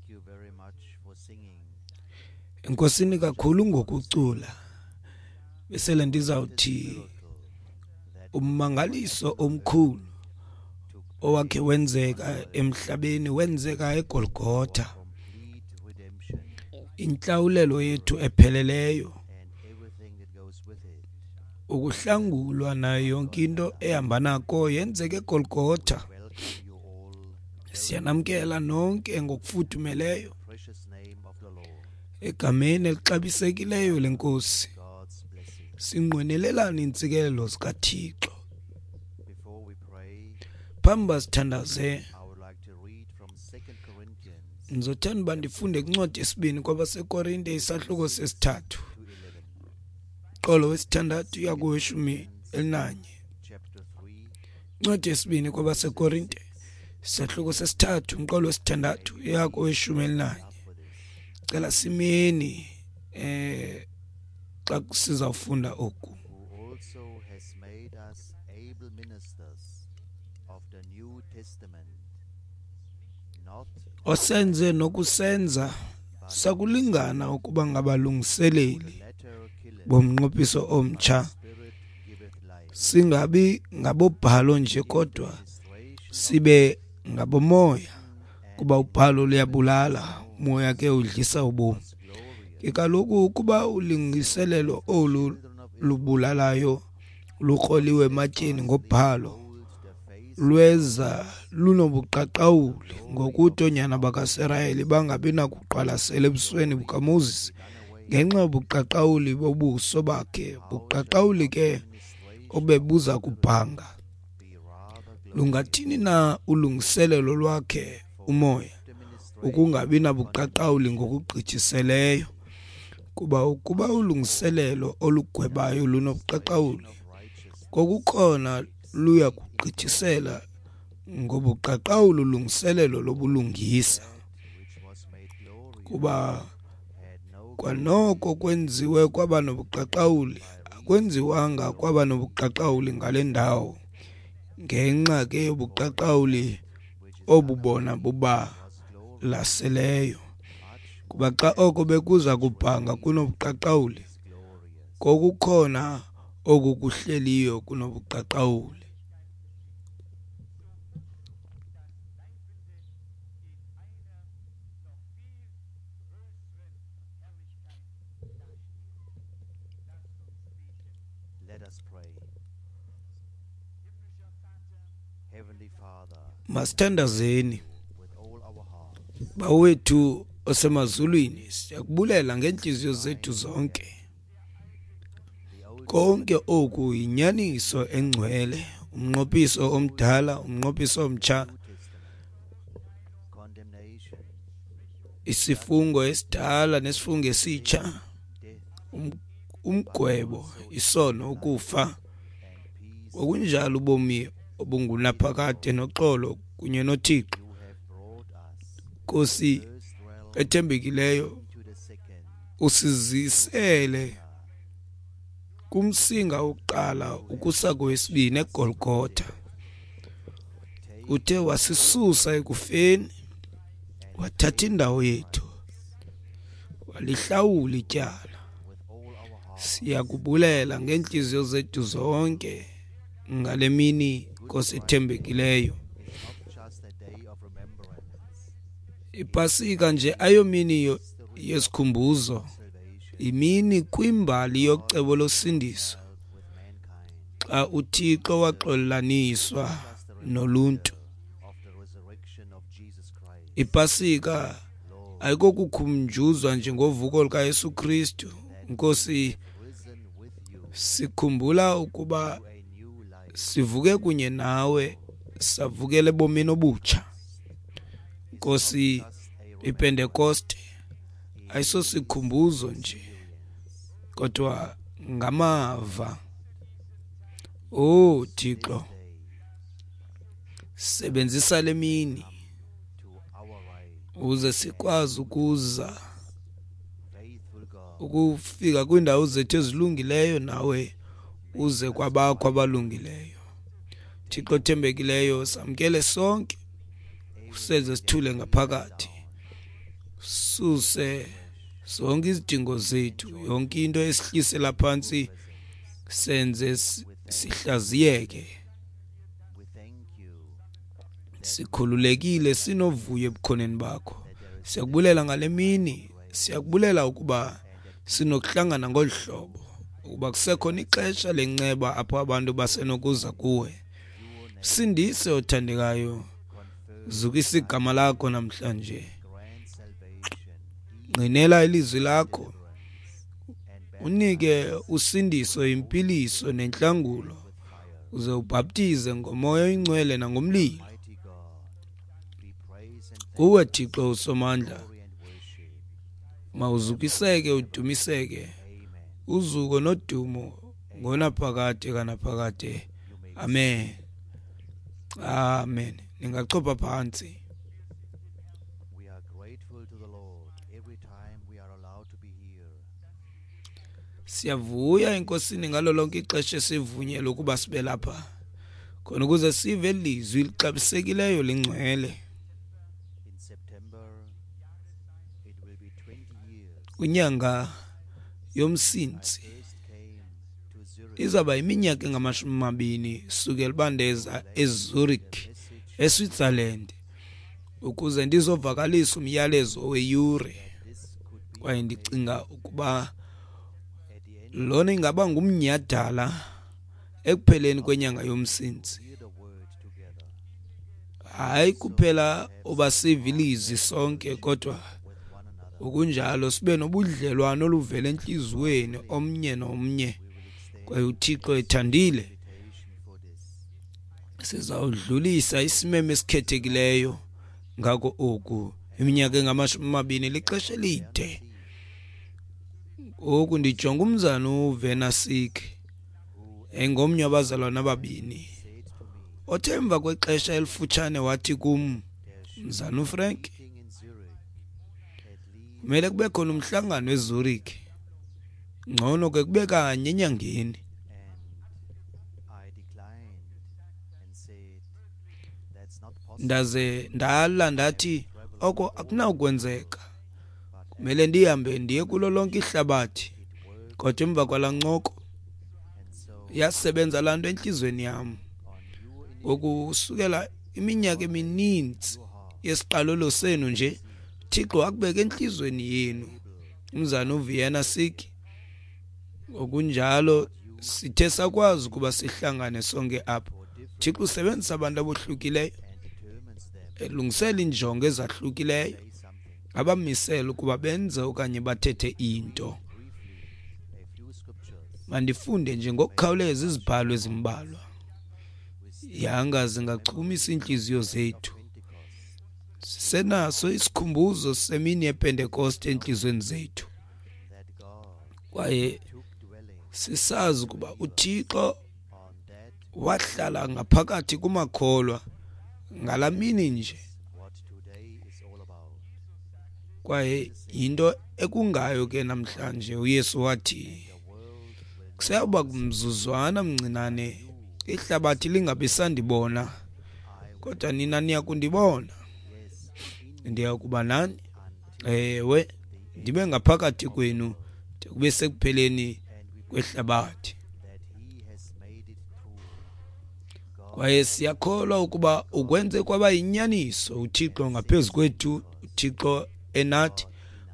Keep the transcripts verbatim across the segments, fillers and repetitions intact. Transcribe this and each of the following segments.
you very much for singing. Enkosini kakhulu ngokucula. Besele ndizawuthi ummangaliso omkhulu owakhe wenzeka emhlabeni wenzeka eGolgotha. Complete redemption Intlawulelo yethu epheleleyo, and everything that goes with it. ukuhlangulwa nayo yonke into ehamba nako yenzeka eGolgotha. Welcome you all Siyanamkela nonke ngokufudumeleyo precious name of the Lord. egameni elixabisekileyo lenkosi. God's blessing. Sinqwenelelani iintsikelelo zikaThixo. Before we pray, Phambi uba sithandaze, I would like to read from Second Corinthians ndizothanda uba ndifunde kwincwadi yesibini kwabaseKorinte isahluko sesithathu to eleven, qolo wesithandathu uya koweshumi elinanye. chapter three, Incwadi yesibini kwabaseKorinte isahluko sesithathu umqolo wesithandathu uya koweshumi elinanye. up for this, Cela simeni eh xa sizawufunda oku. who also has made us able ministers of the New Testament, not Osenze nokusenza sakulingana ukuba ngabalungiseleli the letter killeth, bomnqophiso omtsha, Spirit giveth life. singabi ngabobhalo nje kodwa Administration sibe ngabomoya, kuba ubhalo luyabulala, umoya ke udlisa ubomi. is glorious. Ke kaloku ukuba ulungiselelo olu lubulalayo lukroliwe ematyeni ngobhalo, Hold the face lweza lunobuqaqawuli ngokuthi oonyana bakaSirayeli bangabi nakuqwalasela ebusweni bukaMoses ngenxa yobuqaqawuli bobuso bakhe, buqaqawuli ke obebuza kubhanga. be rather glorious. Lungathini na ulungiselelo lwakhe umoya The ministration ukungabi nabuqaqawuli ngokugqithiseleyo? Kuba ukuba ulungiselelo olugwebayo lunobuqaqawuli, of righteousness kokukhona luya kugqithisela ngobuqaqawuli ulungiselelo lobulungisa. which was made glorious Kuba had no kwanoko kwenziwe kwaba nobuqaqawuli, akwenziwanga kwaba nobuqaqawuli ngale ndawo, ngenxa ke yobuqaqawuli obubona bubalaseleyo. Kuba xa oko bekuza kubhanga kunobuqaqawuli, glorious. kokukhona oku kuhleliyo kunobuqaqawuli. Let us pray. Heavenly Father, Masithandazeni. with all our hearts, Bawethu osemazulwini, siyakubulela ngeentliziyo zethu zonke. the Old Konke oku yinyaniso engcwele, umnqophiso omdala, umnqophiso omtsha, New Testament, condemnation, isifungo esidala nesifungo esitsha, death, um- umgwebo, isono, ukufa, and peace ngokunjalo ubomi obungunaphakade noxolo kunye noThixo. you have brought us Nkosi first realm ethembekileyo, to the second, usizisele kumsinga wokuqala ukusa kowesibini eGolgotha. take Uthe wasisusa ekufeni, wathatha indawo yethu, walihlawula ityala. with all our heart. Siyakubulela ngeentliziyo zethu zonke ngale mini, Nkosi ethembekileyo. It's not just a day of remembrance, Ipasika nje ayomini yo- yesikhumbuzo, salvation imini kwimbali yocebo losindiso, with mankind, xa uThixo waxolelaniswa noluntu. of the resurrection of Jesus Christ. Ipasika Lord, ayikokukhunjuzwa nje ngovuko lukaYesu Kristu. Nkosi, risen with you sikhumbula ukuba to a new life. sivuke kunye nawe, savukela ebomini obutsha. Nkosi, Just a iPentekoste ayisosikhumbuzo nje, kodwa ngamava. Oh Thixo, day sebenzisa le mini to our right, uze sikwazi ukuza faithful God, ukufika kwiindawo zethu ezilungileyo, nawe uze kwabakho abalungileyo. Thixo othembekileyo, samkele sonke, usenze sithule ngaphakathi, Suse zonke izidingo zethu, yonke into esihlisela phantsi, senze sihlaziyeke, sikhululekile, sinovuyo ebukhoneni bakho. Siyakubulela ngale mini, siyakubulela ukuba sinokuhlangana ngolu hlobo, ukuba kusekhona ixesha lenceba apho abantu basenokuza kuwe. Sindise othandekayo, zukisa igama lakho namhlanje, ngqinela ilizwi lakho, unike usindiso, impiliso nentlangulo, uze ubhaptize ngomoya oyingcwele nangomlilo. Kuwe Thixo uSomandla, mawuzukiseke udumiseke, uzuko nodumo ngonaphakade kanaphakade. Amen. Amen. Ningachopha phantsi. Siyavuya enkosini ngalo lonke ixesha esivunyelwe ukuba sibe lapha, khona ukuze sive ilizwi lixabisekileyo lingcwele. Kwinyanga yoMsintsi izawuba iminyaka engamashumi amabini sukela uba ndeza eZurich eSwitzerland ukuze ndizovakalisa umyalezo weyure, kwaye ndicinga ukuba lona ingaba ngumnyhadala ekupheleni kwenyanga yoMsintsi. Hayi kuphela uba sive ilizwi sonke, kodwa okunjalo sibe nobudlelwano oluvela entliziyweni omnye nomnye, kwaye uThixo ethandile sizawudlulisa isimemo esikhethekileyo ngako oku. Iminyaka engamashumi amabini lixesha elide. Ngoku ndijonga umzana uVenasik, engomnye wabazalwana ababini, othe emva kwexesha elifutshane wathi kum, mzana uFrank, kumele kube khona umhlangano eZurich, ngcono ke kube kanye enyangeni. Ndaze ndala ndathi oko akunawukwenzeka, kumele ndihambe ndiye kulo lonke ihlabathi. Kodwa emva kwalaa ncoko yasebenza laa nto entliziyweni yam. Ngokusukela iminyaka emininzi yesiqalelo senu nje, Thixo akubeke entliziyweni yenu. Umzana uVienna Sik, ngokunjalo sithe sakwazi ukuba sihlangane sonke apha. Thixo usebenzisa abantu abohlukileyo, elungisela iinjongo ezahlukileyo, abamisela ukuba benze okanye bathethe into. Mandifunde nje ngokukhawuleza izibhalo ezimbalwa, yanga zingachumisa iintliziyo zethu. Sisenaso isikhumbuzo semini yePentekoste entliziyweni zethu, kwaye sisazi ukuba uThixo wahlala ngaphakathi kumakholwa ngalaa mini nje, kwaye yinto ekungayo ke namhlanje. uYesu wathi kuseyawuba kumzuzwana mncinane ihlabathi lingabi sandibona, kodwa nina niya kundibona. Ndiya kuba nani, ewe, ndibe ngaphakathi kwenu de kube sekupheleni kwehlabathi. Kwaye siyakholwa ukuba ukwenze kwaba yinyaniso uThixo ngaphezu kwethu, uThixo enathi,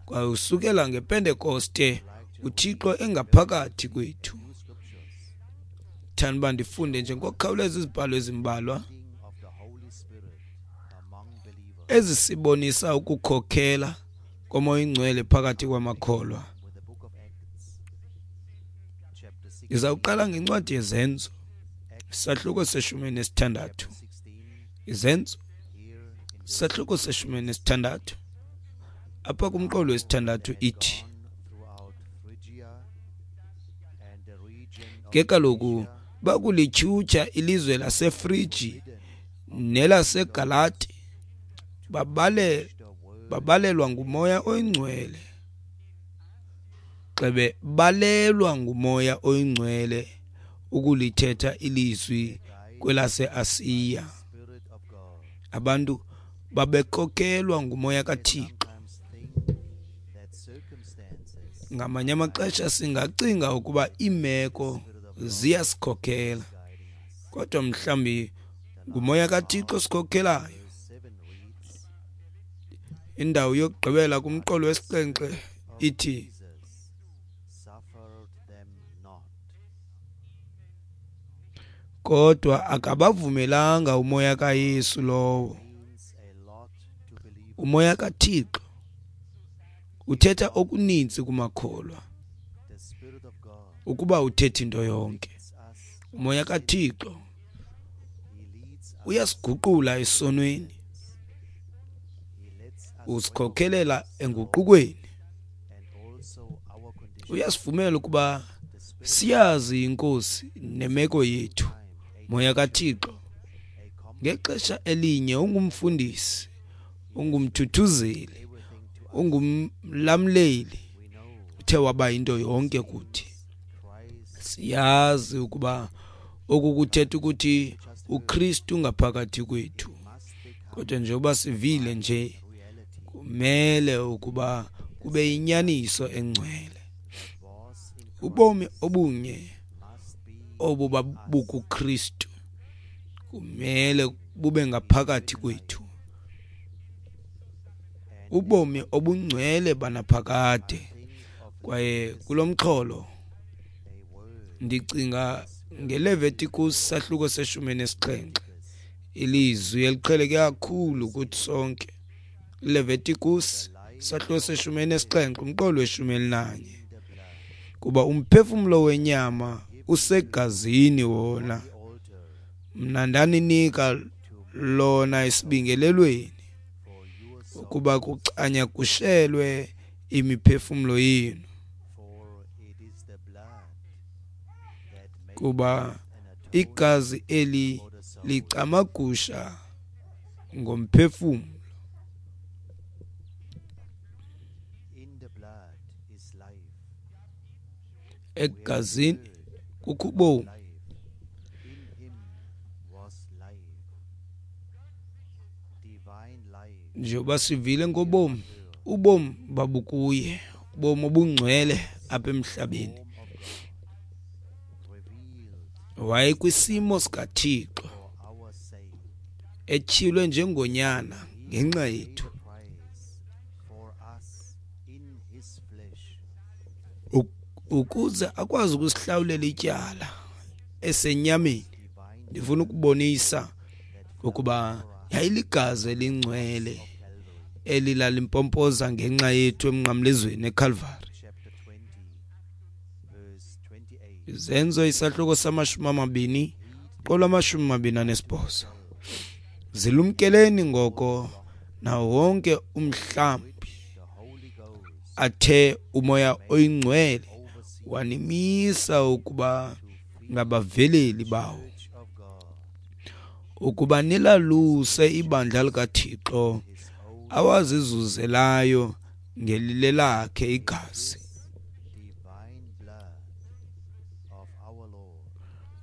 kwaye usukela ngePentekoste uThixo engaphakathi kwethu. Thanda uba ndifunde nje ngokukhawuleza izibhalo ezimbalwa ezisibonisa ukukhokhela koMoya oyiNgcwele phakathi kwamakholwa. Ndizawuqala ngencwadi yeZenzo, isahluko seshumi nesithandathu. Izenzo, isahluko seshumi nesithandathu. Apha kumqolo wesithandathu ithi, ke kaloku bakulityhutyha ilizwe laseFrigi nelaseGalati, babale babalelwa nguMoya oyiNgcwele, xebe balelwa nguMoya oyiNgcwele ukulithetha ilizwi kwelaseAsiya. Abantu babekhokelwa nguMoya kaThixo. Ngamanye amaxesha singacinga ukuba iimeko ziyasikhokela, kodwa mhlawumbi nguMoya kaThixo osikhokelayo. Indawo yokugqibela kumqolo wesixhenxe ithi, kodwa akabavumelanga uMoya kaYesu lowo. UMoya kaThixo uthetha okuninzi kumakholwa ukuba uthetha into yonke. UMoya kaThixo uyasiguqula esonweni, usikhokelela enguqukweni, uyasivumela ukuba siyazi iNkosi nemeko yethu. Moya kaThixo ngexesha elinye ungumfundisi, ungumthuthuzeli, ungumlamleli, uthe waba into yonke kuthi. Siyazi ukuba oku kuthetha ukuthi uKristu ngaphakathi kwethu, kodwa njengoba sivile nje kumele ukuba kube yinyaniso engcwele. Ubomi obunye obu babukuKristu kumele bube ngaphakathi kwethu, ubomi obungcwele banaphakade. Kwaye kulo mxholo ndicinga ngeLevitikus sahluko seshumi nesixhenxe, ilizwi eliqheleke kakhulu kuthi sonke. Leviticus sahluko seshumi nesixhenxe umqolo weshumi elinanye, kuba umphefumlo wenyama usegazini wona, mna ndaninika lona esibingelelweni ukuba kucanyagushelwe imiphefumlo yenu, kuba igazi eli licamagusha ngomphefumlo. Egazini kukho ubomi. Njengoba sivile ngobomi, ubomi babukuye, ubomi obungcwele apha emhlabeni. Wayekwisimo sikaThixo, etyhilwe njengonyana ngenxa yethu, ukuze akwazi ukusihlawulela ityala esenyameni. Ndifuna ukubonisa ukuba yayiligazi elingcwele elilalimpompoza ngenxa yethu emnqamlezweni eKalvari. Izenzo isahluko samashumi amabini qolo amashumi amabini anesibhozo. Zilumkeleni ngoko nawo wonke umhlambi athe uMoya oyiNgcwele wanimisa ukuba ngabaveleli bawo, ukuba nilaluse ibandla likaThixo awazizuzelayo ngelilelakhe igazi.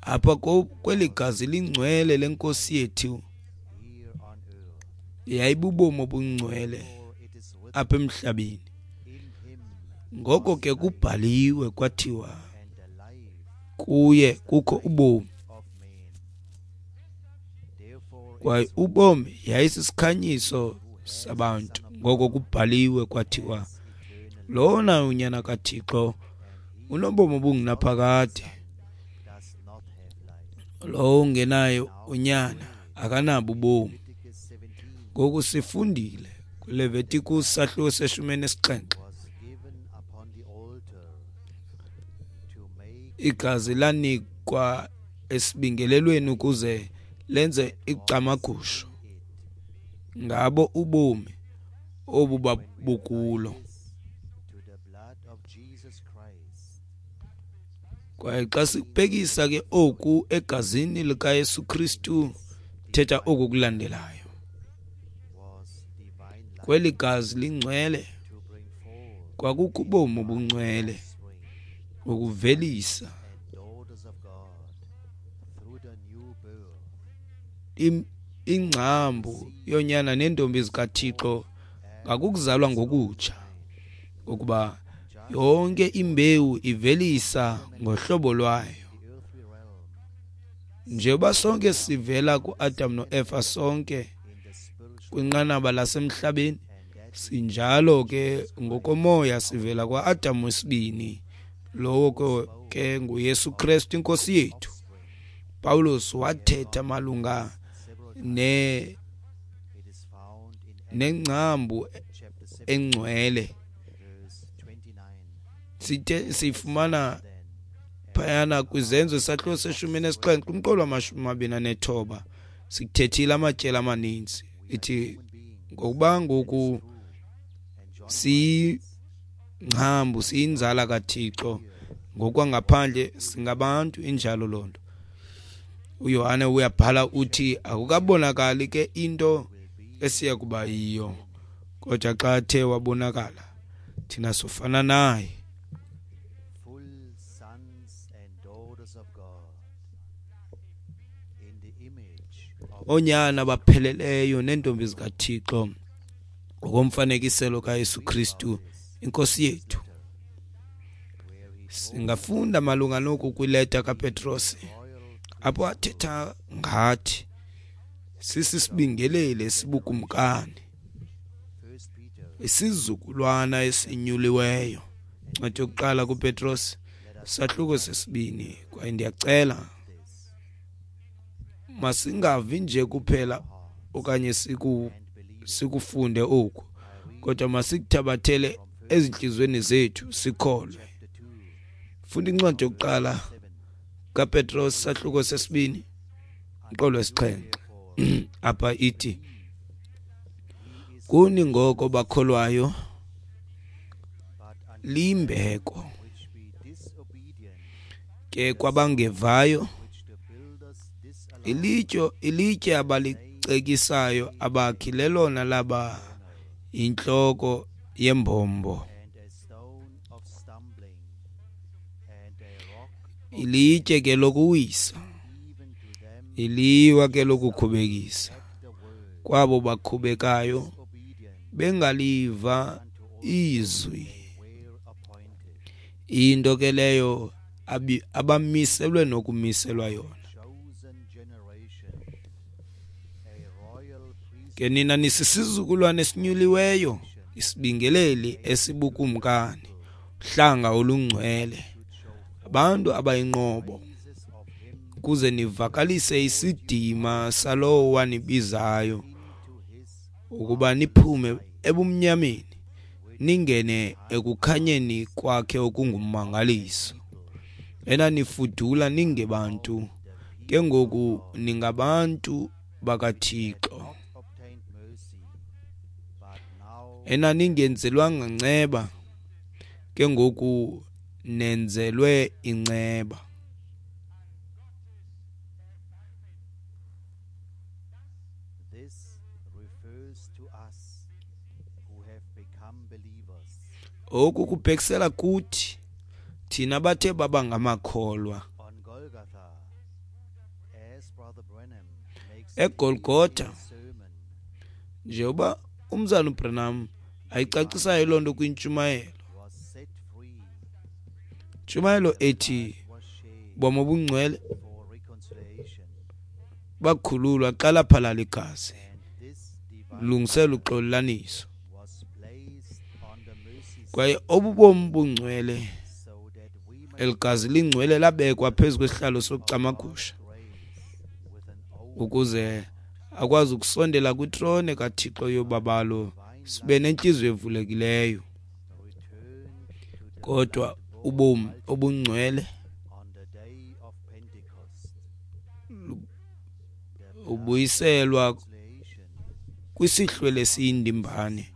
Apha kweli gazi lingcwele lenkosi yethu yayibubomi obungcwele apha emhlabeni. Ngoko ke kubhaliwe kwathiwa kuye kukho ubomi, kwaye ubomi yayisisikhanyiso sabantu. Ngoko kubhaliwe kwathiwa lona unyana kaThixo unobomi obungunaphakade, lowo ungenayo unyana akanabo ubomi. Ngoku sifundile kwiLevitikus sahluko seshumi nesixhenxe, igazi lanikwa esibingelelweni ukuze lenze icamagusho ngabo ubomi obu babukulo. Kwaye xa sikubhekisa ke oku egazini likaYesu Kristu, thetha oku kulandelayo. Kweli gazi lingcwele kwakukho ubomi obungcwele ukuvelisa ingcambu yonyana nentombi zikaThixo ngakukuzalwa ngokutsha, ngokuba Yonke imbewu ivelisa ngohlobo lwayo. Njengoba sonke sivela kuAdam noEva, sonke kwinqanaba lasemhlabeni, sinjalo ke ngokomoya sivela kwaAdam wesibini, lowo ke nguYesu Kristu iNkosi yethu. Pawulos wathetha malunga ne nengcambu engcwele. Sithe sifumana phayana kwizenzo isahluko seshumi nesixhenxe umqolo wamashumi amabini anethoba. Sikuthethile amatyeli amaninzi. Ithi ngokuba ngoku siyingcambu, siyinzala kaThixo ngokwangaphandle singabantu, injalo loo nto. uYohane uyabhala uthi akukabonakali ke into esiya kuba yiyo, kodwa xa athe wabonakala thina sofana naye. Full sons and daughters of God in the image of Oonyana bapheleleyo neentombi zikaThixo ngokomfanekiselo kaYesu Kristu iNkosi yethu. Singafunda malunga noku kwileta kaPetros, apho athetha ngathi sisisibingeleli esibukumkani, First Peter isizukulwana esinyuliweyo. Incwadi yokuqala kuPetros sahluko sesibini. Kwaye ndiyacela masingavi nje kuphela okanye siku sikufunde oku, kodwa masikuthabathele ezintliziyweni zethu sikholwe. chapter two Funda incwadi yokuqala kaPetros sahluko sesibini umqolo wesixhenxe. Apha ithi, kuni ngoko bakholwayo but unto liyimbeko, which be disobedient, ke kwabangevayo which the builders disallowed, ilitye ilitye abalicekisayo abakhi lelona laba intloko yembombo, and a stone of stumbling, and a rock ilitye ke lokuwisa, even to them iliwa ke lokukhubekisa. at the word, Kwabo bakhubekayo disobedient bengaliva unto all izwi, they were appointed, into ke leyo abi- abamiselwe nokumiselwa yona. chosen generation, a royal priesthood, Ke nina nisisizukulwane esinyuliweyo, isibingeleli esibukumkani, uhlanga olungcwele, abantu abayinqobo, praises of him ukuze nivakalise isidima salowo wanibizayo into his ukuba niphume ebumnyameni ningene ekukhanyeni kwakhe okungummangaliso. Enanifudula ningebantu, ke ngoku ningabantu bakaThixo. not obtained mercy, but now Enaningenzelwanga nceba, ke ngoku nenzelwe inceba. This refers to us who have become believers. Oku kubhekisela kuthi thina bathe baba ngamakholwa. On Golgotha, as Brother Branham makes EGolgotha, in his sermon, njengoba umzana uBranham ayicacisayo loo nto kwintshumayelo, was set free, ntshumayelo ethi was shed bomi obungcwele for reconciliation, bakhululwa xa laphalala igazi, and this divine lungisela uxolelaniso. was placed on the mercy seat Kwaye obu bomi bungcwele, so that we may eli gazi lingcwele labekwa phezu kwesihlalo sokucamagusha grace with an open ukuze akwazi ukusondela kwitrone kaThixo yobabalo, sibe nentliziyo evulekileyo. return to the Kodwa ubomi obungcwele on the day of Pentecost. ubuyiselwa Reconciliation, kwisihlwele esiyindimbane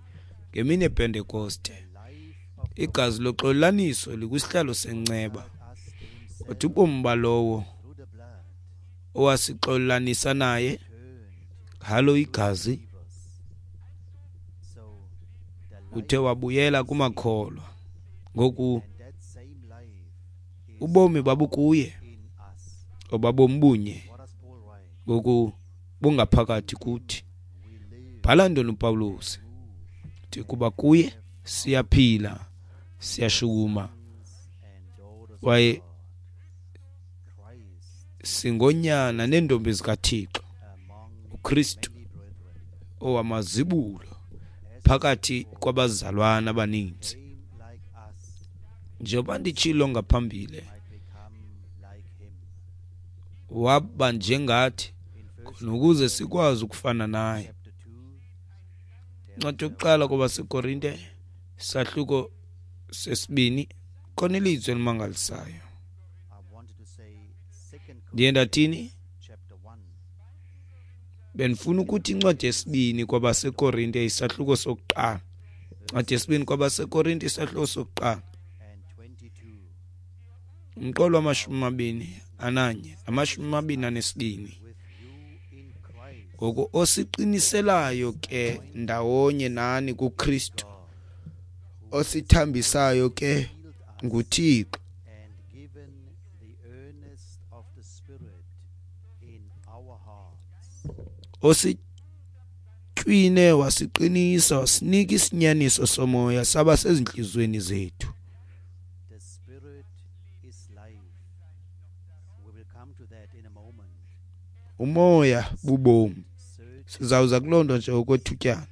ngemini yePentekoste. life of Igazi loxolelaniso likwisihlalo senceba, us to himself kodwa ubomi balowo through the blood owasixolelanisa naye turned ngalo igazi believers. So the uthe wabuyela kumakholwa. Ngoku and that same life is ubomi babukuye, in us. obabomi bunye What does Paul write? ngoku bungaphakathi kuthi. We live, Bhala ntoni uPawulos? move, Uthi kuba kuye siyaphila, Siyashukuma kwaye singonyana neentombi zikaThixo, uKristu owamazibulo phakathi kwabazalwana abaninzi. Njengoba nditshilo ngaphambili, waba njengathi khona ukuze sikwazi ukufana naye. Incwadi yokuqala kwabaseKorinte isahluko sesibini, khona ilizwi elimangalisayo. Ndiye ndathini? Bendifuna ukuthi incwadi yesibini kwabaseKorinte isahluko sokuqala. Incwadi yesibini kwabaseKorinte isahluko sokuqala, umqolo wamashumi amabini ananye namashumi amabini anesibini. Ngoku osiqiniselayo ke ndawonye nani kuKristu, osithambisayo ke nguThixo, ositywine wasiqinisa wasinika isinyaniso somoya saba sezintliziyweni zethu. Umoya bubomi. Sizawuza kuloo nto nje okwethutyana.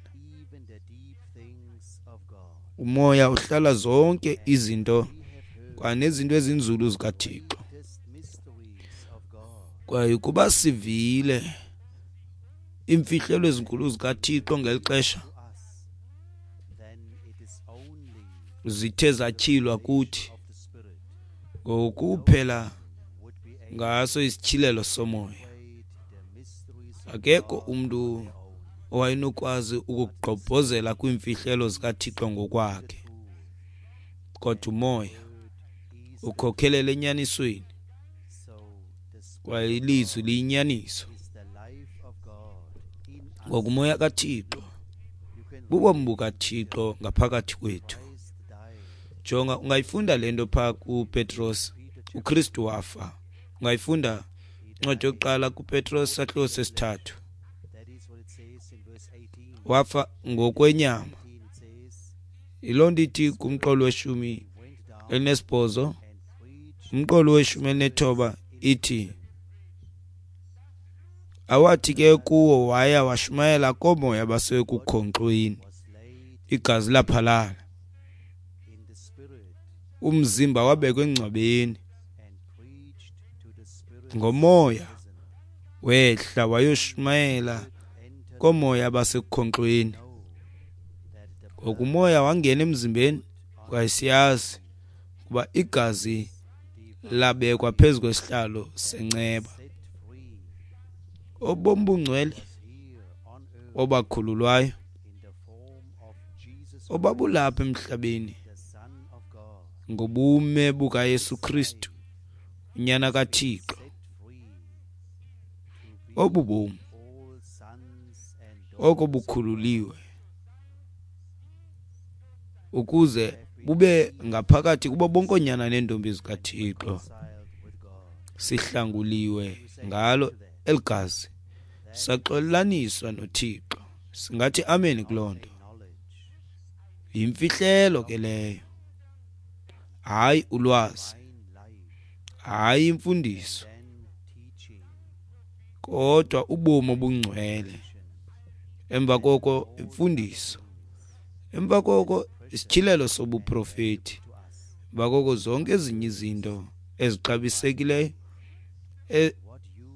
Umoya uhlala zonke izinto kwanezinto ezinzulu zikaThixo. Kwaye ukuba sivile iimfihlelo ezinkulu zikaThixo ngeli xesha zithe zatyhilwa kuthi ngokuphela ngaso isityhilelo somoya, akekho umntu owayenokwazi ukugqobhozela kwiimfihlelo zikaThixo ngokwakhe, kodwa umoya ukhokhelela enyanisweni, kwaye ilizwi liyinyaniso. Ngokumoya kaThixo bubomi bukaThixo ngaphakathi kwethu. Jonga, ungayifunda le nto phaa kuPetros, uKristu wafa. Ungayifunda incwadi yokuqala kuPetros sahluko sesithathu. Wafa ngokwenyama. Yiloo nto ithi kumqolo weshumi elinesibhozo, umqolo weshumi elinethoba ithi, awathi ke kuwo waya washumayela koomoya basekukhonkxweni, igazi laphalala, umzimba wabekwa engcwabeni. Ngomoya wehla wayoshumayela koomoya basekukhonkxweni. Ngokumoya wangena emzimbeni, kwaye siyazi ukuba igazi labekwa phezu kwesihlalo senceba. Obomi bungcwele obakhululwayo obabulapha emhlabeni ngobume bukaYesu Kristu, unyana kaThixo. Obu bomi oko bukhululiwe ukuze bube ngaphakathi kubo bonke oonyana neentombi zikaThixo. Sihlanguliwe ngalo eli gazi, saxolelaniswa noThixo. Singathi amen kuloo nto. Yimfihlelo ke leyo, hayi ulwazi, hayi imfundiso, kodwa ubomi obungcwele. Emva koko imfundiso, emva koko isityhilelo sobuprofeti, emva koko zonke ezinye izinto ezixabisekileyo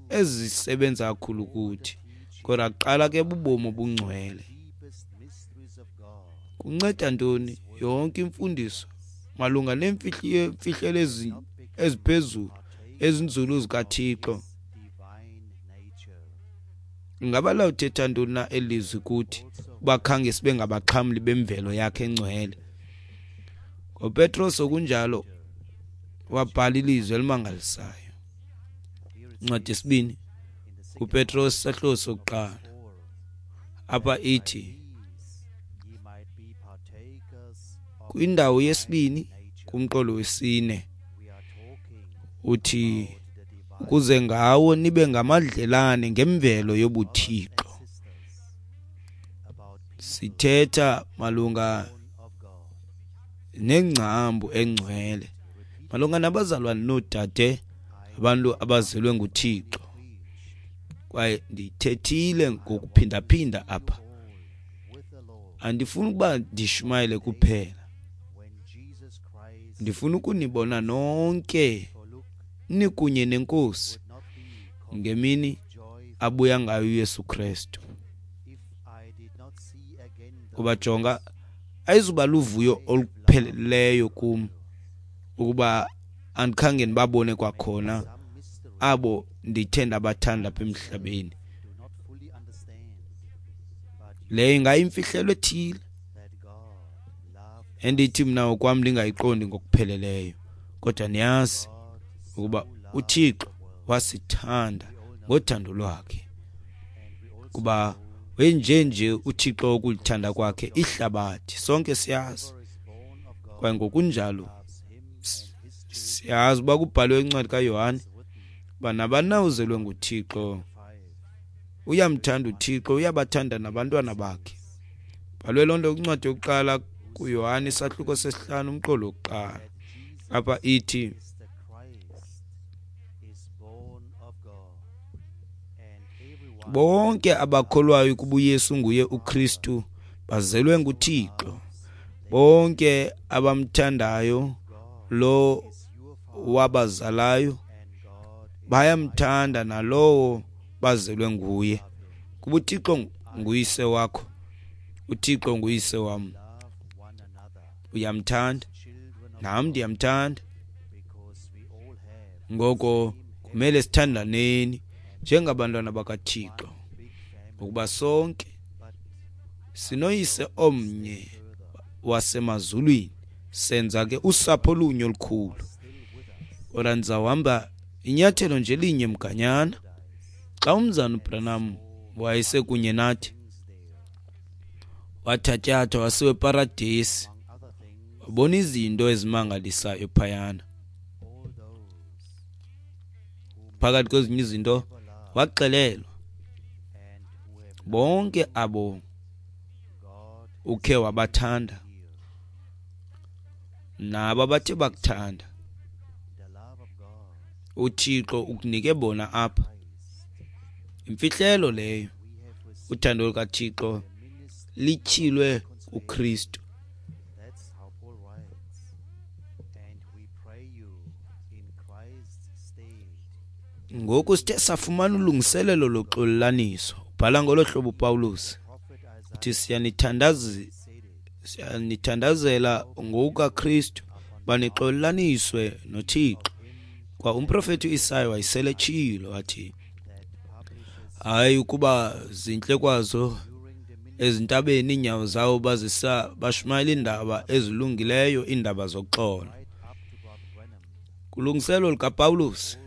ezisebenza kakhulu kuthi. Kodwa kuqala ke bubomi obungcwele. Kunceda ntoni yonke imfundiso malunga neemfihlelo eziphezulu ezinzulu zikaThixo? Ingaba lawuthetha ntoni na elizwi kuthi uba khange sibe ngabaxhamli bemvelo yakhe engcwele? NgoPetros okunjalo wabhala ilizwi elimangalisayo. Incwadi yesibini kuPetros sahluko sokuqala, apha ithi kwindawo yesibini kumqolo wesine uthi, ukuze ngawo nibe ngamadlelane ngemvelo yobuThixo. Sithetha malunga nengcambu engcwele malunga nabazalwane noodade, abantu abazelwe nguThixo. Kwaye ndiyithethile ngokuphindaphinda apha. Andifuni ukuba ndishumayele kuphela. Ndifuna ukunibona nonke nikunye neNkosi ngemini abuya ngayo uYesu Kristu. Kuba jonga, ayizuba luvuyo olupheleleyo kum ukuba andikhange ndibabone kwakhona abo ndithe ndabathanda apha emhlabeni. Leyo ingayimfihlelo ethile endithi mna okwam ndingayiqondi ngokupheleleyo, kodwa niyazi ukuba uThixo wasithanda ngothando lwakhe, kuba wenjenje uThixo ukulithanda kwakhe ihlabathi. Sonke siyazi, kwaye ngokunjalo siyazi uba kubhalwe incwadi kaYohane uba nabani na uzelwe nguThixo uyamthanda uThixo, uyabathanda nabantwana bakhe. Bhalwe loo nto kwincwadi yokuqala kuYohane isahluko sesihlanu umqolo wokuqala. Apha ithi, bonke abakholwayo ukuba uYesu nguye uKristu bazelwe nguThixo. Bonke abamthandayo lo wabazalayo bayamthanda nalowo bazelwe nguye. Kuba uThixo nguyise wakho, uThixo nguyise wam. Uyamthanda, nam ndiyamthanda. Ngoko kumele sithandaneni njengabantwana bakaThixo, ngokuba sonke sinoyise omnye wasemazulwini, senza ke usapho olunye olukhulu. Kodwa ndizawuhamba inyathelo nje linye mganyana. Xa umzana uBranham wayesekunye nathi, wathatyathwa wasiwa eParadesi, wabona izinto ezimangalisayo phayana. Phakathi kwezinye izinto waxelelwa, bonke abo ukhe wabathanda nabo abathe bakuthanda, uThixo ukunike bona apha. Imfihlelo leyo, uthando lukaThixo lityhilwe kuKristu. Ngoku sithe safumana ulungiselelo loxolelaniso. Ubhala ngolo hlobo uPawulos, uthi siyanithandazi siyanithandazela ngokukaKristu banixolelaniswe noThixo. Kwa umprofeti uIsaya wayeseletshilo wathi, hayi ukuba zintle kwazo ezintabeni iinyawo zawo bazisa bashumayela iindaba ezilungileyo, iindaba zoxolo. Kulungiselo likaPawulos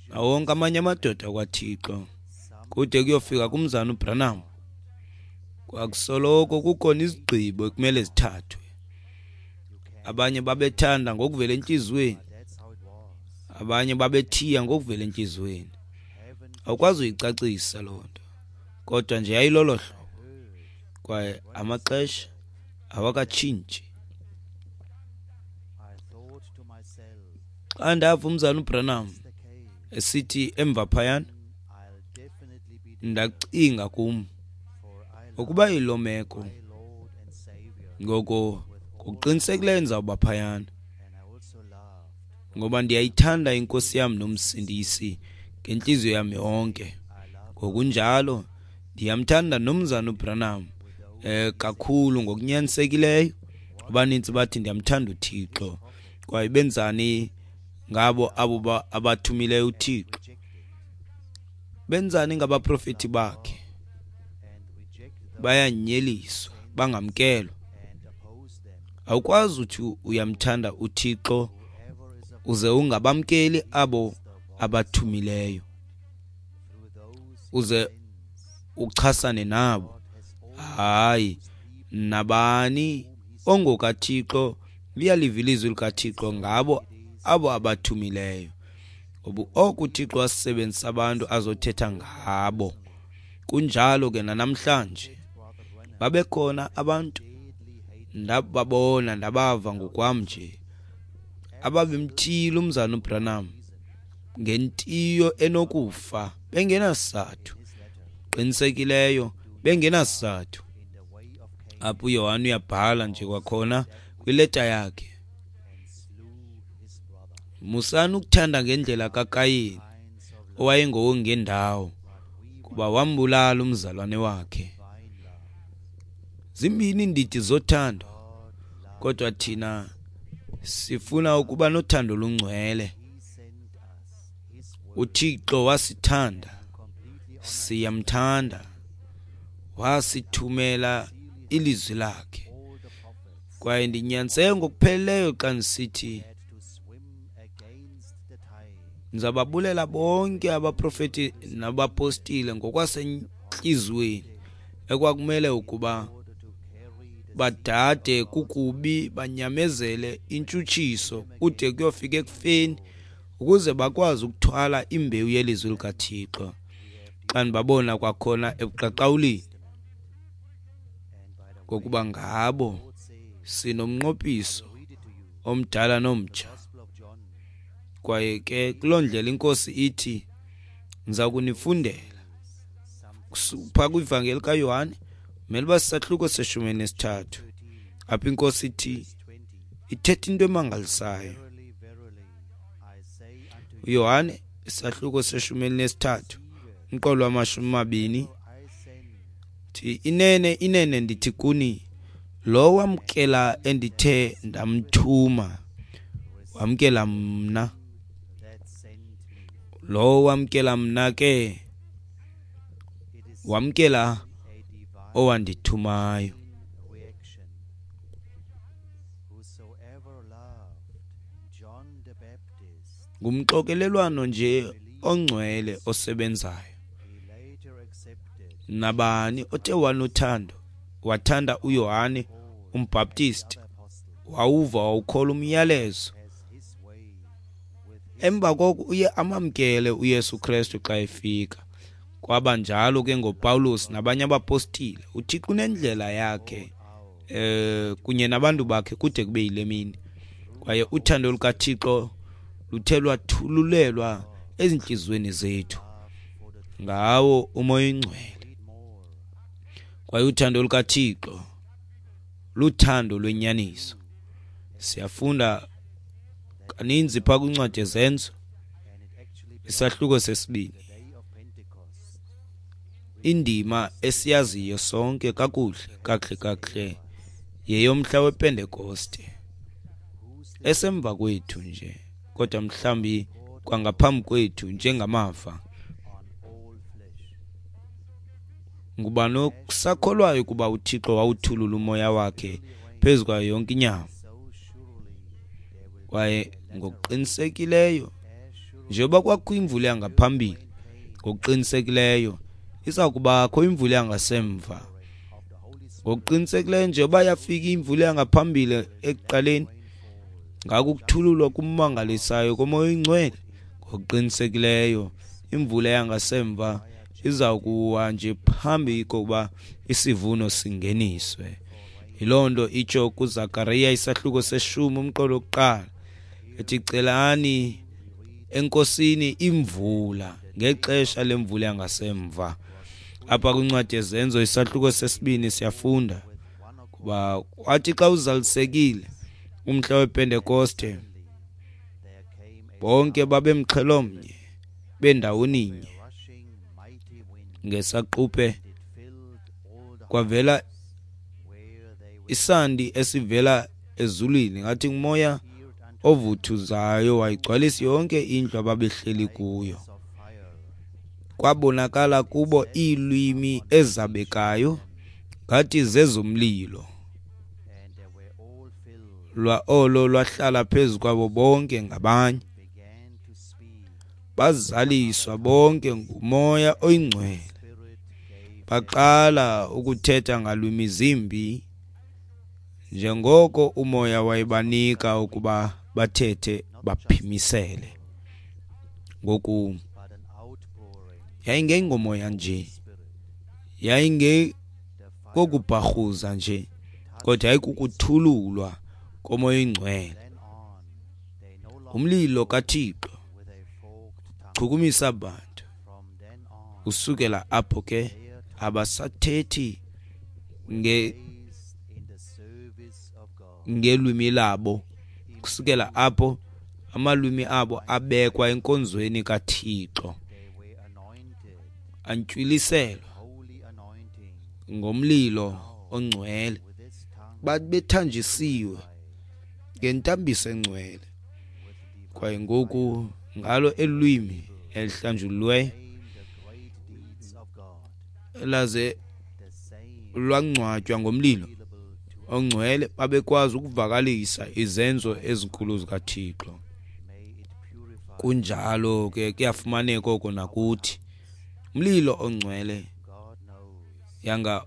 nawo wonke amanye amadoda kwaThixo kude kuyofika kumzana uBranham, kwakusoloko kukhona izigqibo ekumele zithathwe. Abanye babethanda ngokuvela entliziyweni, abanye babethiya ngokuvela entliziyweni. Awukwazi uyicacisa loo nto, kodwa nje yayilolo hlobo. Kwaye amaxesha awakatshintshi. Xa ndava umzana uBranham esithi emva phayana, ndacinga kum ukuba yiloo meko, ngoko ngokuqinisekileyo ndizawuba phayana, ngoba ndiyayithanda iNkosi yam noMsindisi ngentliziyo yam yonke. Ngokunjalo ndiyamthanda nomzana uBranham eh kakhulu ngokunyanisekileyo. Abanintsi bathi ndiyamthanda uThixo, kwaye benzani ngabo abo abathumileyo uThixo? Benzani ngabaprofeti bakhe? Bayanyeliswa, bangamkelwa. Awukwazi uthi uyamthanda uThixo uze ungabamkeli abo abathumileyo, uze uchasane nabo. Hayi, nabani ongokaThixo uyaliva ilizwi likaThixo ngabo abo abathumileyo. Ngoba oku uThixo wasebenzisa abantu azothetha ngabo. Kunjalo ke nanamhlanje, babekhona abantu Ndababona, ndabava ngokwam nje, ababemthiyile umzana uBranham ngentiyo enokufa, bengenasizathu, qinisekileyo bengenasizathu. Apho uYohane uyabhala nje kwakhona kwileta yakhe, musani ukuthanda ngendlela kaKayini owayengowongendawo, kuba wambulala umzalwane wakhe. Zimbini iindidi zothando, kodwa thina sifuna ukuba nothando olungcwele. UThixo wasithanda, siyamthanda, wasithumela ilizwi lakhe. Kwaye ndinyaniseke ngokupheleleyo xa ndisithi ndizababulela bonke abaprofeti nabapostile ngokwasentliziyweni ekwakumele ukuba badade kukubi, banyamezele intshutshiso kude kuyofika ekufeni, ukuze bakwazi ukuthwala imbewu yelizwi likaThixo. Xa ndibabona kwakhona ebuqaqawulini, ngokuba ngabo sinomnqophiso omdala nomtsha. Kwaye ke kuloo ndlela iNkosi ithi, ndiza kunifundela phaa kwivangeli kaYohane, mele uba sisahluko seshumi elinesithathu, apho iNkosi ithi ithetha into emangalisayo. uYohane isahluko seshumi elinesithathu umqolo wamashumi amabini, thi inene inene ndithi kuni, lo wamkela endithe ndamthuma wamkela mna, lo wamkela mna ke wamkela owandithumayo. Ngumxokelelwano nje ongcwele osebenzayo. Nabani othe wanothando wathanda uYohane umbhaptisti, wawuva wawukholwa umyalezo, emva koko uye amamkele uYesu Kristu xa efika. Kwaba njalo ke ngoPawulos nabanye abapostile. UThixo unendlela yakhe eh kunye nabantu bakhe kude kube yile mini. Kwaye uthando lukaThixo luthe lwathululelwa ezintliziyweni zethu ngawo uMoya oyiNgcwele. Kwaye uthando lukaThixo luthando lwenyaniso. Siyafunda kaninzi phaa kwincwadi yeZenzo isahluko sesibini, indima esiyaziyo sonke kakuhle kakuhle kakuhle yeyomhla wePentekoste esemva kwethu nje, kodwa mhlawumbi kwangaphambi kwethu njengamava. Ngubani okusakholwayo ukuba uThixo wawuthulula umoya wakhe phezu kwayo yonke inyama? Kwaye ngokuqinisekileyo njengoba kwakho imvula yangaphambili, ngokuqinisekileyo iza kubakho imvula yangasemva. Ngokuqinisekileyo njengoba yafika imvula yangaphambili ekuqaleni, ngako ukuthululwa kumangalisayo koMoya oyiNgcwele, ngokuqinisekileyo imvula yangasemva iza kuwa nje phambi kokuba isivuno singeniswe. Yiloo nto itsho kuZakariya isahluko seshumi umqolo wokuqala, ethi celani eNkosini imvula ngexesha lemvula yangasemva. Apha kwincwadi yeZenzo isahluko sesibini siyafunda kuba kwathi xa uzalisekile umhla wePentekoste, bonke babemxhelomnye bendawoninye. Ngesaquphe kwavela isandi esivela ezulwini ngathi ngumoya ovuthuzayo, wayigcwalisa yonke indlu ababehleli kuyo. Kwabonakala kubo iilwimi ezabekayo ngathi zezomlilo, lwa olo lwahlala phezu kwabo bonke ngabanye. Bazaliswa bonke nguMoya oyiNgcwele, baqala ukuthetha ngalwimi zimbi njengoko uMoya wayebanika ukuba bathethe baphimisele. Ngoku yayingengomoya nje, yayingekokubharhuza nje, kodwa yayikukuthululwa koMoya oyiNgcwele, umlilo kaThixo chukumisa abantu. Kusukela apho ke abasathethi nge ngelwimi labo. Kusukela apho amalwimi abo abekwa enkonzweni kaThixo, antywiliselwa ngomlilo ongcwele, babethanjisiwe ngentambiso engcwele. Kwaye ngoku ngalo elwimi elihlanjululweyo laze lwangcwatywa ngomlilo ongcwele, babekwazi ukuvakalisa izenzo ezinkulu zikaThixo. Kunjalo ke kuyafumaneka oko nakuthi. Umlilo ongcwele yanga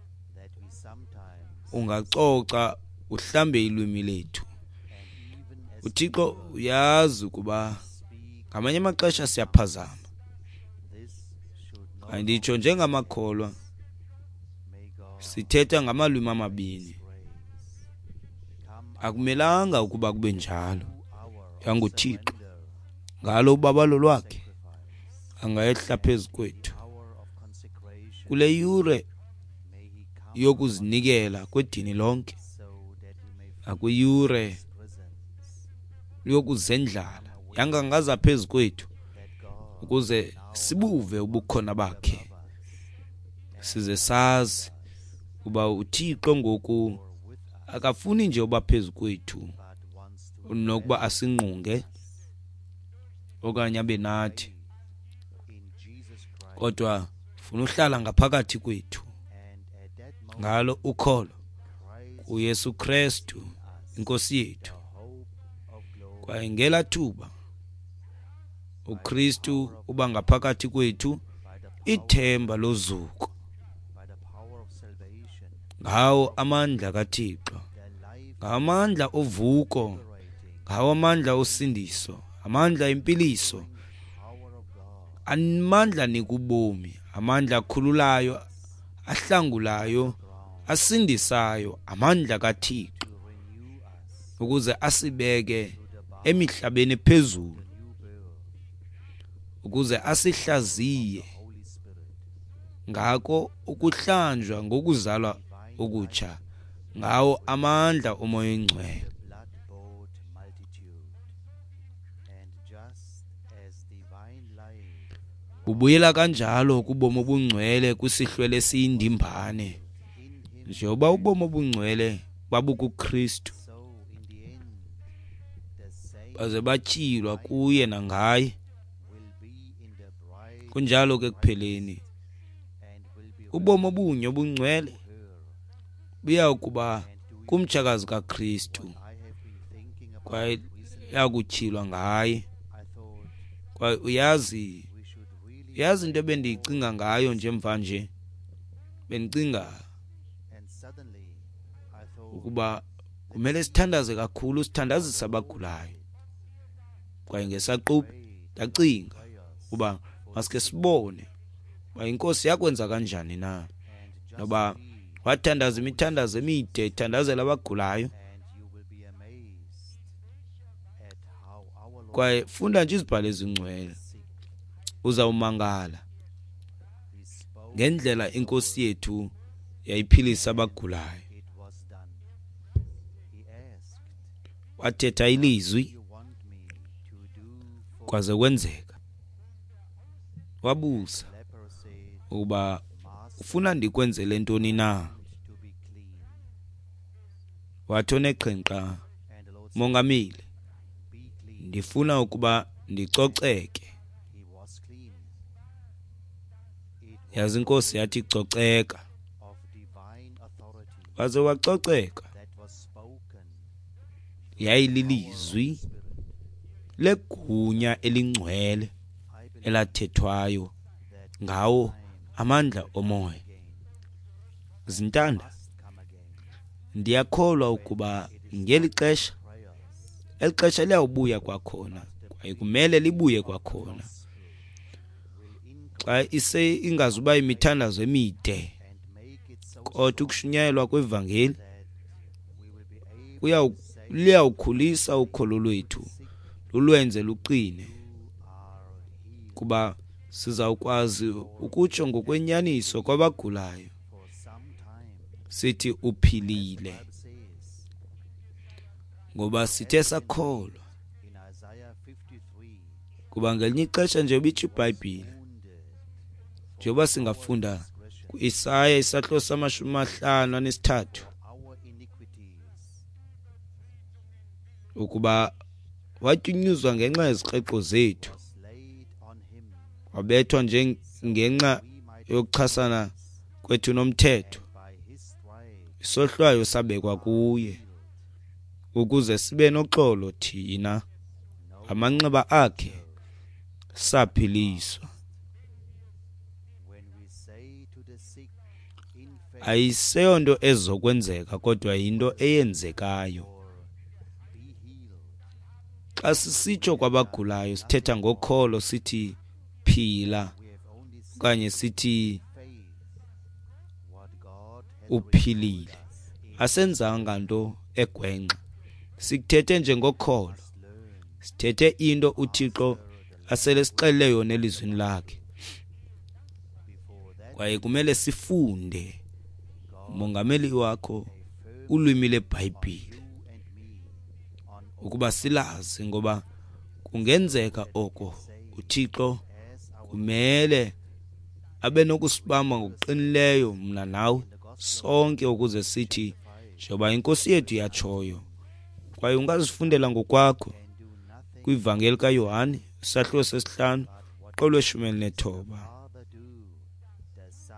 ungacoca uhlambe ilwimi lethu. UThixo uyazi ukuba ngamanye amaxesha siyaphazama. Anditsho njengamakholwa sithetha ngamalwimi amabini. Akumelanga ukuba kube njalo. YanguThixo ngalo ubabalo lwakhe angayehla phezu kwethu kule yure yokuzinikela kwedini lonke, nakwiyure yokuzendlala, yangangaza phezu kwethu ukuze sibuve ubukhona bakhe, size sazi kuba uThixo ngoku akafuni nje uba phezu kwethu nokuba asingqunge okanye abe nathi, kodwa ufuna uhlala ngaphakathi kwethu ngalo ukholo kuYesu Kristu inkosi yethu. Kwaye ngela thuba uKristu uba ngaphakathi kwethu, ithemba lozuko ngawo amandla kaThixo, ngamandla ovuko, ngawo amandla osindiso, amandla empiliso, amandla nikubomi, amandla akhululayo, ahlangulayo, asindisayo, amandla kaThixo ukuze asibeke emihlabeni phezulu, ukuze asihlaziye ngako ukuhlanjwa ngokuzalwa okutsha ngawo amandla oMoya oNgcwele. Bubuyela kanjalo kubomi obungcwele kwisihlwele esiyindimbane, njengoba ubomi obungcwele babukuKristu, baze batyhilwa kuye nangaye. Kunjalo ke ekupheleni ubomi obunye obungcwele buya kuba kumtshakazi kaKristu, kwaye yakutyhilwa ngaye. Kwaye uyazi uyazi into ebendiyicinga ngayo nje mvanje, bendicinga ukuba kumele sithandaze kakhulu, sithandazise abagulayo. Kwaye ngesaquphe ndacinga uba masike sibone uba inkosi yakwenza kanjani na, noba wathandaza imithandazo emide ethandazela abagulayo. Kwaye funda nje izibhalo ezingcwele, uzawumangala ngendlela inkosi yethu yayiphilisa abagulayo. Wathetha ilizwi kwaze kwenzeka. Wabuza ukuba ufuna ndikwenzele ntoni na. Wathi oneqhenqa, Mongameli, ndifuna ukuba ndicoceke. Yazi inkosi yathi coceka, waze wacoceka. Yayililizwi legunya elingcwele elathethwayo ngawo amandla omoya. Zintanda, ndiyakholwa ukuba ngeli xesha, eli xesha liyawubuya kwakhona, kwaye kumele libuye kwakhona. Xa ise ingazuba imithandazo emide, kodwa ukushunyayelwa kwevangeli Liyawukhulisa ukholo lwethu, lulwenze luqine, kuba sizawukwazi ukutsho ngokwenyaniso kwabagulayo sithi uphilile, ngoba sithe sakholwa. Kuba ngelinye ixesha nje bitsho iBhayibhile, njengoba singafunda ku-Isaya isahluko samashumi amahlanu anesithathu, ukuba watyunyuzwa ngenxa yezikreqo zethu, wabethwa nje ngenxa yokuchasana kwethu nomthetho, isohlwayo sabekwa kuye ukuze sibe noxolo thina, amanxeba akhe saphiliswa. Ayiseyonto ezokwenzeka, kodwa yinto eyenzekayo. Xa sisitsho kwabagulayo sithetha ngokholo, sithi phila okanye sithi uphilile. Asenzanga nto egwenxa, sikuthethe nje ngokholo, sithethe into uThixo asele sixelele yona elizwini lakhe. Kwaye kumele sifunde umongameli wakho ulwimi leBhayibhile ukuba silazi, ngoba kungenzeka oko uThixo kumele abe nokusibamba ngokuqinileyo mna nawe sonke, ukuze sithi njengoba inkosi yethu yatshoyo. Kwaye ungazifundela ngokwakho kwivangeli kaYohane isahluko sesihlanu uqolo lweshumi elinethoba.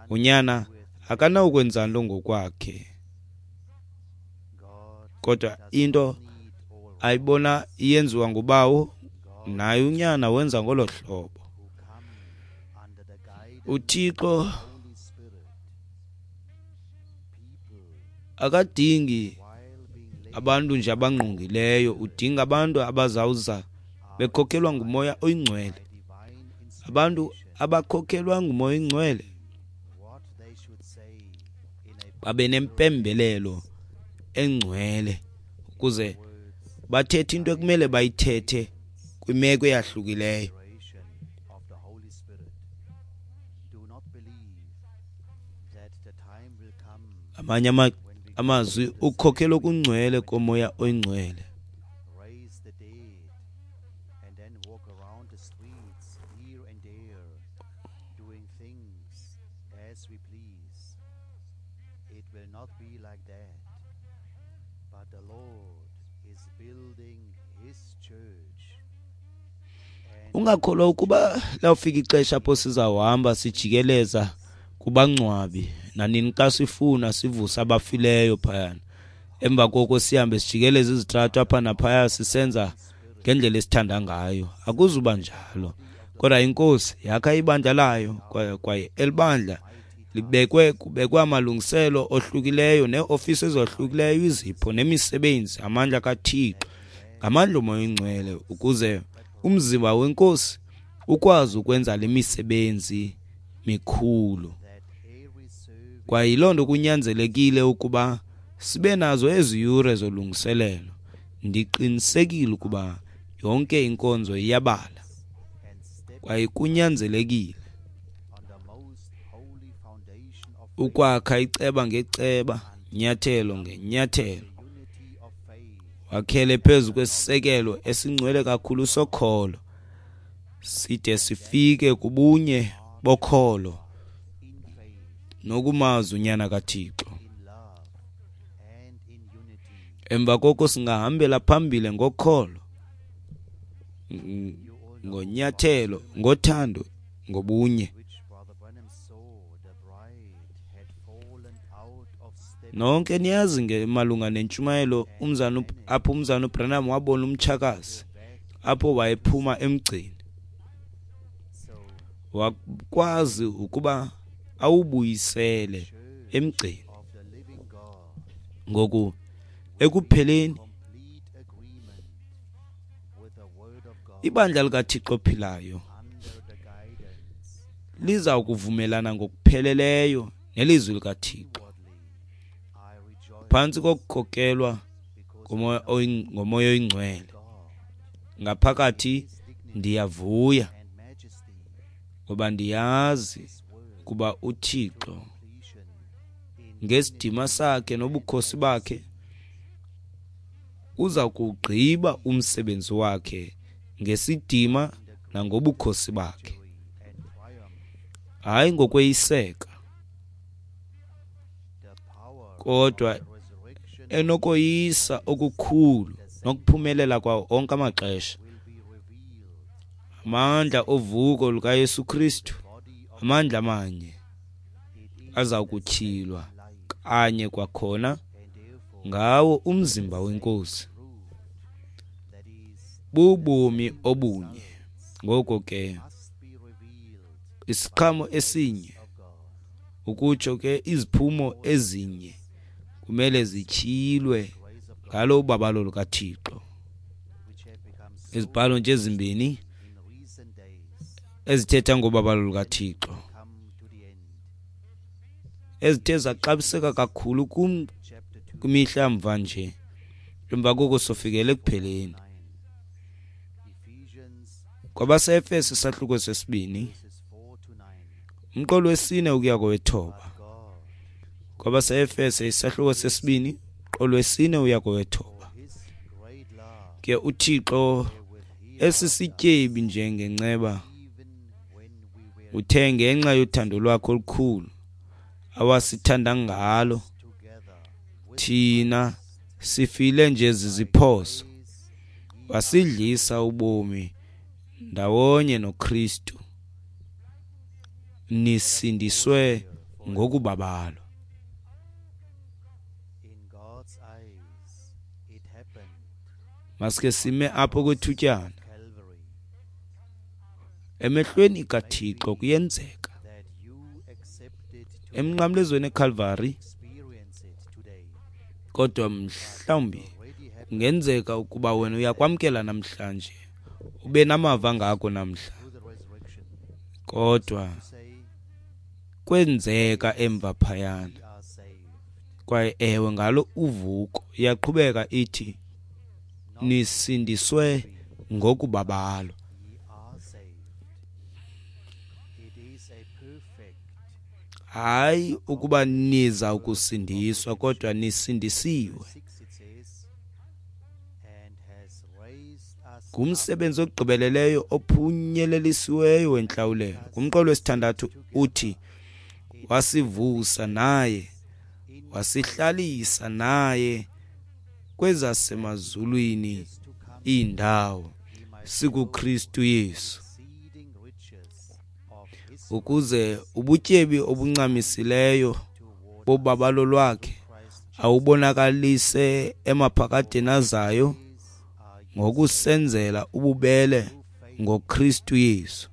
Unyana akanawukwenza nto ngokwakhe, kodwa into ayibona iyenziwa ngubawo, naye unyana wenza ngolo hlobo. uThixo akadingi abantu nje abangqongileyo, udinga abantu abazawuza bekhokelwa nguMoya oyiNgcwele. Abantu abakhokelwa nguMoya oyiNgcwele babe nempembelelo engcwele ukuze bathethe into ekumele bayithethe kwimeko eyahlukileyo. Amanye amazwi, ukhokhelo okungcwele koMoya oyiNgcwele. Ungakholwa ukuba lawufika ixesha apho sizawuhamba sijikeleza kubangcwabi nanini xa sifuna sivusa abafileyo phayana, emva koko sihambe sijikeleze izitrato apha naphaya sisenza ngendlela esithanda ngayo. Akuzuba njalo, kodwa inkosi yakha ibandla layo, kwaye kwaye elibandla libekwe kubekwe amalungiselo ohlukileyo neeofisi ezohlukileyo, izipho nemisebenzi, amandla kaThixo ngamandla oMoya oyiNgcwele, ukuze umzimba wenkosi ukwazi ukwenza le misebenzi mikhulu. Kwaye yiloo nto kunyanzelekile ukuba sibe nazo ezi yure zolungiselelo. Ndiqinisekile ukuba yonke inkonzo iyabala, kwaye kunyanzelekile ukwakha iceba ngeceba, nyathelo ngenyathelo, wakhele phezu kwesisekelo esingcwele kakhulu sokholo, side sifike kubunye bokholo nokumazi uNyana kaThixo. Emva koko singahambela phambili ngokholo, ngonyathelo, ngothando, ngobunye. Nonke niyazi ngemalunga nentshumayelo umzana apho umzana uBranham wabona umtshakazi apho wayephuma emgceni, wakwazi ukuba awubuyisele emgceni. Ngoku ekupheleni ibandla likaThixo ophilayo liza kuvumelana ngokupheleleyo nelizwi likaThixo phantsi kokukhokelwa ngoMoya oyiNgcwele. Ngaphakathi ndiyavuya ngoba ndiyazi ukuba uThixo ngesidima sakhe nobukhosi bakhe uza kuwugqiba umsebenzi wakhe ngesidima nangobukhosi bakhe, hayi ngokweyiseka, kodwa enokoyisa okukhulu nokuphumelela kwawo onke amaxesha. Amandla ovuko lukaYesu Kristu, amandla amanye aza kutyhilwa kanye kwakhona ngawo umzimba weNkosi. Bubomi obunye. Ngoko ke isiqhamo esinye, ukutsho ke iziphumo ezinye, kumele zityhilwe ngalo ubabalo lukaThixo. Izibhalo nje ezimbini ezithetha ngobabalo lukaThixo ezithe zaxabiseka kakhulu kum kwimihla mva nje, emva koko sofikele ekupheleni. Kwabase-Efese isahluko sesibini, umqolo wesine ukuya kowethoba. Kwabase-Efese isahluko sesibini, umqolo wesine uya kowethoba. Ke uThixo esisityebi njengenceba uthe ngenxa yothando lwakhe olukhulu awasithanda ngalo thina sifile nje ziziphoso, wasidlisa ubomi ndawonye noKristu, nisindiswe ngokubabalwa. Maske sime apho kwethutyana. Emehlweni kaThixo kuyenzeka. Emnqamlezweni eCalvary, kodwa mhlawumbi kungenzeka ukuba wena uyakwamkela namhlanje, ube namava ngako namhla, kodwa kwenzeka emva phayana. Kwaye ewe, ngalo uvuko iyaqhubeka ithi nisindiswe ngokubabalwa. Hayi ukuba niza ukusindiswa, kodwa nisindisiwe. Ngumsebenzi ogqibeleleyo ophunyelelisiweyo wentlawulelo. Kumqolo wesithandathu uthi wasivusa naye, wasihlalisa naye kwezasemazulwini iindawo sikuKristu Yesu, ukuze ubutyebi obuncamisileyo bobabalo lwakhe awubonakalise emaphakadeni azayo ngokusenzela ububele ngoKristu Yesu.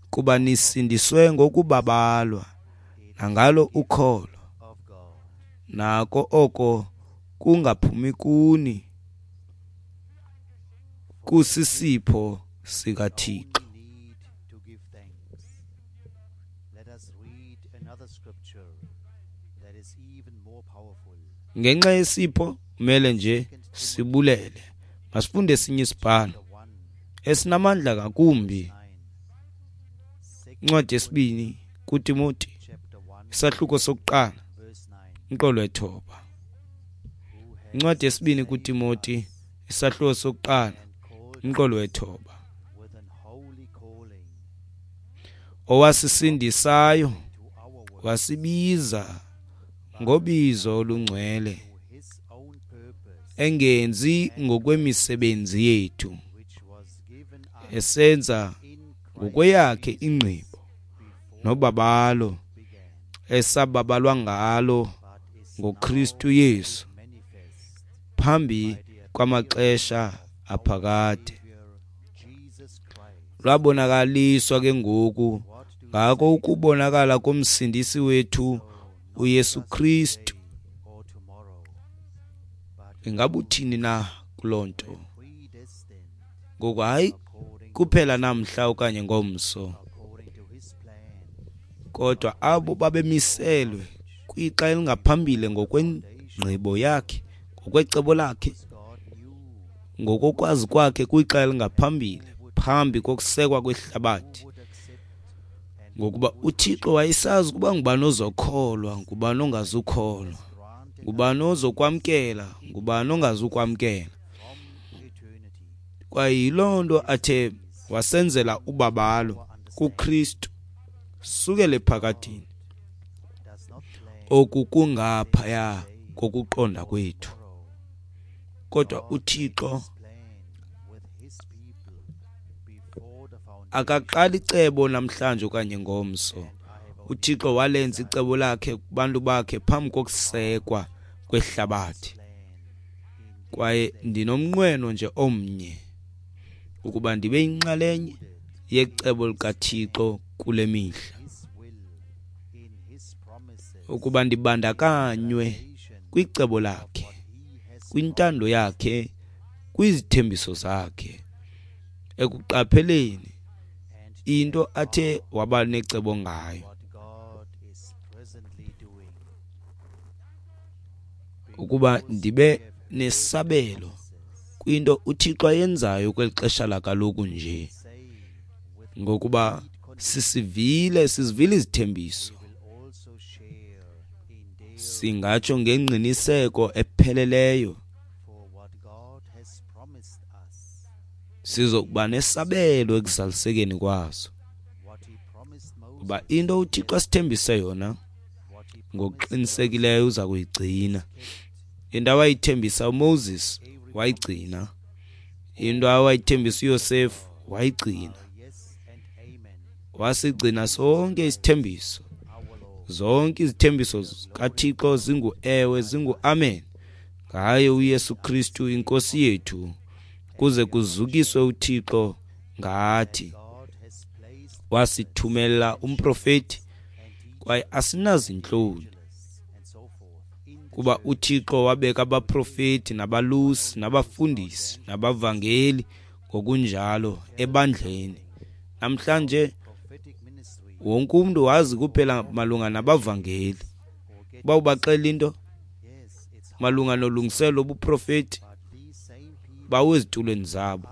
Kuba nisindiswe ngokubabalwa nangalo ukholo, nako oko kungaphumi kuni, kusisipho sikaThixo. Ngenxa yesipho kumele nje sibulele. Masifunde esinye isibhalo esinamandla ngakumbi. Incwadi yesibini kuTimoti, isahluko sokuqala, umqolo wethoba. Incwadi yesibini kuTimoti, isahluko sokuqala, umqolo wethoba. Owasisindisayo wasibiza ngobizo olungcwele, engenzi ngokwemisebenzi yethu, esenza ngokweyakhe ingqibo nobabalo esababalwa ngalo ngoKristu Yesu phambi kwamaxesha aphakade. Lwabonakaliswa ke ngoku ngako ukubonakala komsindisi wethu uYesu Kristu. Ingabuthini na kuloo nto? Ngoku hayi kuphela namhla okanye ngomso, kodwa abo babemiselwe kwixa elingaphambili ngokwengqibo yakhe, Ngokwecebo lakhe, ngokokwazi kwakhe kwixa elingaphambili, phambi kokusekwa kwehlabathi, ngokuba uThixo wayesazi ukuba ngubani ozokholwa, ngubani ongazukholwa, ngubani ozokwamkela, ngubani ongazukwamkela. Kwaye yiloo nto athe wasenzela ubabalo kuKristu sukela ephakadeni. Oku kungaphaya kokuqonda kwethu, kodwa uThixo akaqali icebo namhlanje okanye ngomso. UThixo walenza icebo lakhe kubantu bakhe phambi kokusekwa kwehlabathi. Kwaye ndinomnqweno nje omnye, ukuba ndibe yinxalenye yecebo likaThixo kule mihla, ukuba ndibandakanywe kwicebo lakhe, kwintando yakhe, kwizithembiso zakhe, ekuqapheleni into athe waba necebo ngayo, ukuba ndibe nesabelo kwinto uThixo ayenzayo kweli xesha lakaloku nje, ngokuba sisivile sizivile izithembiso. Singatsho ngengqiniseko epheleleyo sizokuba nesabelo ekuzalisekeni kwazo, kuba into uThixo asithembise yona ngokuqinisekileyo uza kuyigcina. Into awayithembisa uMoses wayigcina, into awayithembisa uYosefu wayigcina, wasigcina sonke isithembiso. Zonke izithembiso zikaThixo zingu-ewe, zingu-amen ngaye uYesu Kristu inkosi yethu, kuze kuzukiswe uThixo ngathi. Wasithumela umprofeti, kwaye asinazintloni, kuba uThixo wabeka abaprofeti nabalusi nabafundisi nabavangeli ngokunjalo ebandleni. Namhlanje wonke umntu wazi kuphela malunga nabavangeli. Uba ubaxela into malunga nolungiselo lobuprofeti, bawe ezitulweni zabo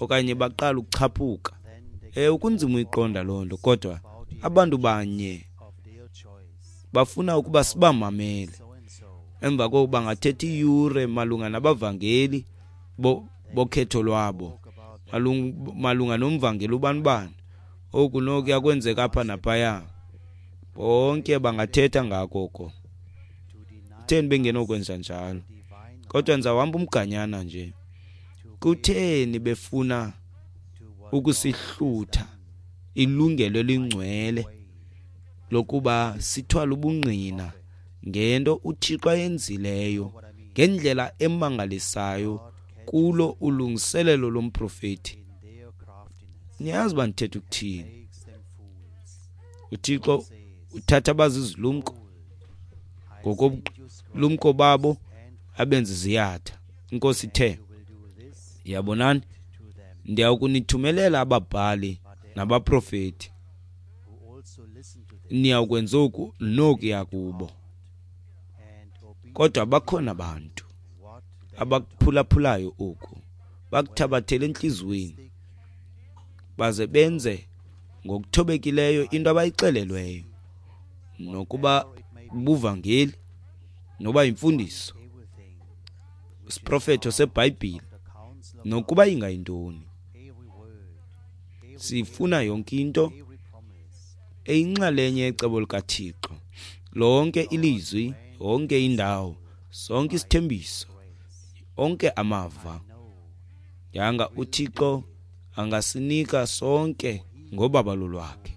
okanye baqala ukuchaphuka. Ewe, kunzima uyiqonda loo nto, kodwa abantu banye bafuna ukuba sibamamele. Emva koko bangathetha iiyure malunga nabavangeli bokhetho lwabo, malunga nomvangeli ubani-bani, oku nokuya kwenzeka apha naphaya. Bonke bangathetha ngako oko. Kutheni bengenokwenza njalo? Kodwa ndizawuhamba umganyana nje. Kutheni befuna ukusihlutha ilungelo elingcwele lokuba sithwale ubungqina ngento uThixo ayenzileyo ngendlela emangalisayo kulo ulungiselelo lomprofeti? Niyazi uba ndithetha ukuthini. uThixo uthatha abazizilumko ngokobulumko babo abenze ziyatha. Inkosi ithe, yabonani, ndiyakunithumelela ababhali nabaprofeti, niyawukwenza oku nokuya kubo. Kodwa bakhona abantu abakuphulaphulayo oku, bakuthabathele entliziyweni, baze benze ngokuthobekileyo into abayixelelweyo, nokuba buvangeli noba yimfundiso, isiprofeto seBhayibhile, nokuba ingayintoni. Sifuna yonke into eyinxalenye yecebo likaThixo, lonke ilizwi, yonke indawo, sonke isithembiso, onke amava. Yanga uThixo angasinika sonke ngobabalo lwakhe.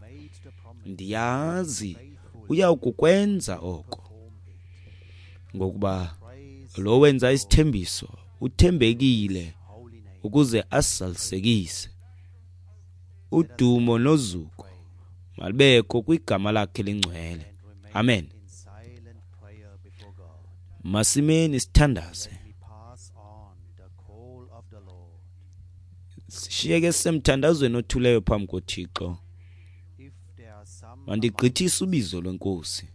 Ndiyazi uyawukukwenza oko, ngokuba lo wenza isithembiso uthembekile ukuze asizalisekise. Udumo nozuko malibekho kwigama lakhe lingcwele. Amen. Masimeni sithandaze. Sishiyeke semthandazweni othuleyo phambi koThixo. Mandigqithise ubizo lwenkosi.